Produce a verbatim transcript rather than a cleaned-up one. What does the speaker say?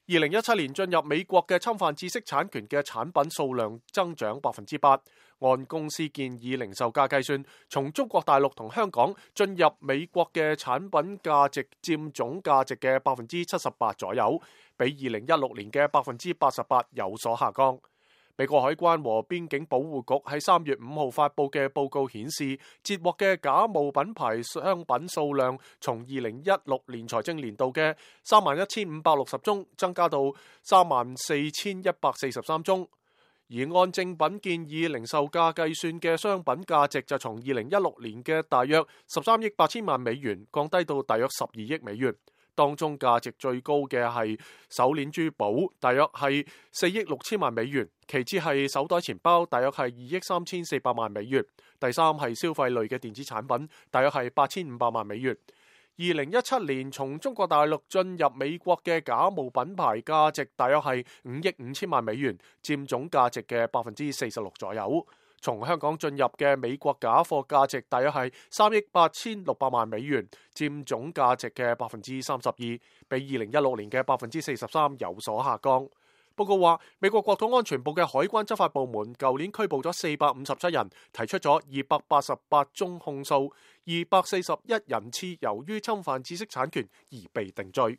二零一七年進入美國嘅侵犯知識產權嘅產品數量增長百分之八，按公司建議零售價計算，從中國大陸同香港進入美國嘅產品價值佔總價值嘅百分之七十八左右，比二零一六年嘅百分之八十八有所下降。美國海關和邊境保護局喺三月五號發佈嘅報告顯示，截獲嘅假冒品牌商品數量從二零一六年財政年度嘅三萬一千五百六十宗增加到三萬四千一百四十三宗，而按正品建議零售價計算嘅商品價值就從二零一六年嘅大約十三億八千萬美元降低到大約十二億美元。當中價值最高嘅係手鏈珠寶，大約係四億六千萬美元；其次係手袋錢包，大約係二億三千四百萬美元；第三係消費類嘅電子產品，大約係八千五百萬美元。二零一七年從中國大陸進入美國嘅假冒品牌價值大約係五億五千萬美元，佔總價值嘅百分之四十六左右。從香港進入嘅美國假貨價值大約係三億八千六百萬美元，佔總價值嘅百分之三十二，比二零一六年嘅百分之四十三有所下降。報告話，美國國土安全部嘅海關執法部門舊年拘捕咗四百五十七人，提出咗二百八十八宗控訴，二百四十一人次由於侵犯知識產權而被定罪。